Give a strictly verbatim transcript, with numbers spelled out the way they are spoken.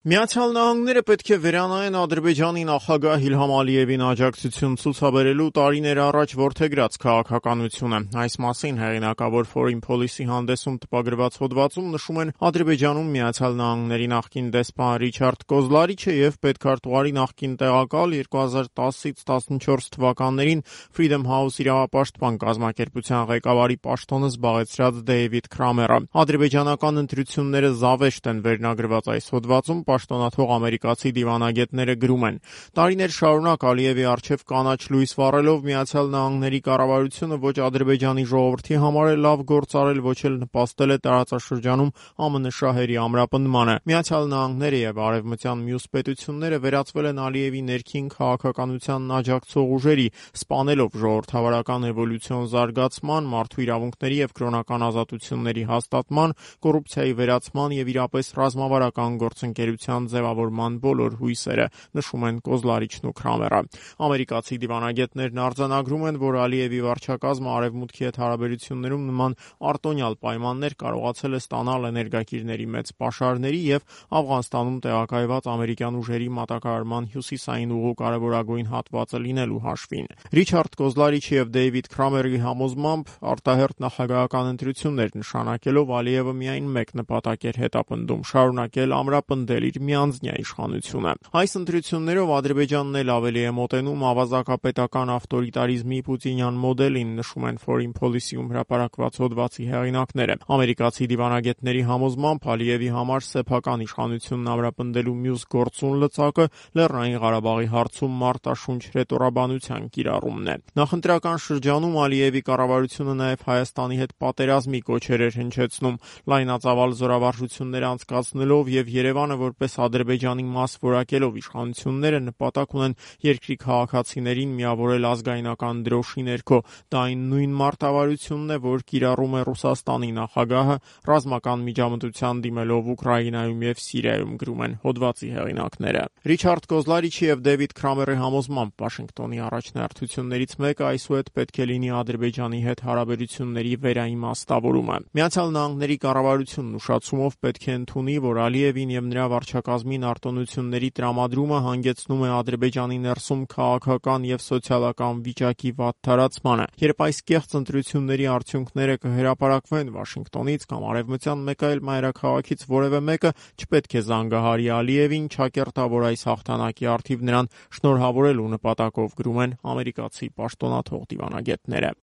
Միացյալ Նահանգները պետք է վերանայեն Ադրբեջանի նախագահ Իլհամ Ալիևին աջակցություն ցուցաբերելու տարիներ առաջ որդեգրած քաղաքականությունը։ Այս մասին հեղինակավոր Foreign Policy հանդեսում տպագրված հոդվածում նշում են Ադրբեջանում Միացյալ Նահանգների նախկին դեսպան Ռիչարդ Կոզլարիչը եւ պետքարտուղարի նախկին տեղակալ երկու հազար տասից տասնչորս թվականներին Freedom House իրավապաշտպան կազմակերպության ղեկավարի պաշտոնը զբաղեցրած Դեյվիդ Քրամերը։ Ադրբեջանական ընտրությունները զավեշտ են վերնագրված այս հոդվածում պաշտոնաթող ամերիկացի դիվանագետները գրում են. տարիներ շարունակ Ալիևի առջև կանաչ լույս վառելով Միացյալ Նահանգների կառավարությունը ոչ Ադրբեջանի ժողովրդի համար է լավ գործ արել, ոչ էլ նպաստել է տարածաշրջանում ԱՄՆ շահերի ամրապնդմանը։ Միացյալ Նահանգները եւ արևմտյան մյուս պետությունները վերածվել են Ալիևի ներքին քաղաքականությանն աջակցող ուժերի, սպանելով ժողովրդավարական էվոլյուցիոն զարգացման, մարդու իրավունքների եւ կրոնական ազատությունների հաստատման, կոռուպցիայի վերացման եւ իրապես ռազմավարական գործընկերության ձևավորման բոլոր հույսերը, նշում են Կոզլարիչն ու Քրամերը։ Ամերիկացի դիվանագետներն արձանագրում են, որ Ալիևի վարչակազմը արևմուտքի հետ հարաբերություններում նման արտոնյալ պայմաններ կարողացել է ստանալ էներգակիրների մեծ պաշարների եւ Աֆղանստանում տեղակայված ամերիկյան ուժերի մատակարարման հյուսիսային ուղու կարևորագույն հատվածը լինելու հաշվին։ Ռիչարդ Կոզլարիչի եւ Դեյվիդ Քրամերի համոզմամբ արտահերթ նախագահական ընտրություններ նշանակելով Ալիևը միայն մեկ նպատակ էր հետապնդում՝ շարունակել ամրապնդել իր միանձնյա իշխանությունը։ Այս ընտրություններով Ադրբեջանն էլ ավելի է մոտենում ավազակապետական ավտորիտարիզմի պուտինյան մոդելին, նշում են Foreign Policy-ում հրապարակված հոդվածի հեղինակները։ Ամերիկացի դիվանագետների համոզմամբ Ալիևի համար սեփական իշխանությունն ամրապնդելու մյուս գործուն լծակը Լեռնային Ղարաբաղի հարցում մարտաշունչ հռետորաբանության կիրառումն է։ Նախընտրական շրջանում Ալիևի կառավարությունը նաև Հայաստանի հետ պատերազմի կոչեր էր հնչեցնում, լայնածավալ զորավարժություններ անցկացնելով եւ Երևանը որպես Ադրբեջանի մաս որակելով իշխանությունները նպատակ ունեն երկրի քաղաքացիներին միավորել ազգայնական դրոշի ներքո։ Դա այն նույն մարտավարությունն է, որ կիրառում է Ռուսաստանի նախագահը ռազմական միջամտության դիմելով Ուկրաինայում եւ Սիրիայում, գրում են հոդվածի հեղինակները։ Ռիչարդ Կոզլարիչի եւ Դեյվիդ Քրամերի համոզմամբ Վաշինգտոնի առաջնահերթություններից մեկը այսուհետ պետք է լինի Ադրբեջանի հետ հարաբերությունների վերաիմաստավորումը։ Միացյալ Նահանգների կառավարությունն ուշացումով պետք է ընդունի, որ Ալիևին եւ նրա վարչակազմին արտոնությունների տրամադրումը հանգեցնում է Ադրբեջանի ներսում քաղաքական եւ սոցիալական վիճակի վատթարացմանը։ Երբ այս կեղծ ընտրությունների արդյունքները կհրապարակվեն Վաշինգտոնից կամ արևմտյան մեկ այլ մայրաքաղաքից որևէ մեկը չպետք է զանգահարի Ալիևին, չակերտա, որ այս հաղթանակի առթիվ նրան շնորհավորելու նպատակով, գրում են ամերիկացի պաշտոնաթող դիվանագետները։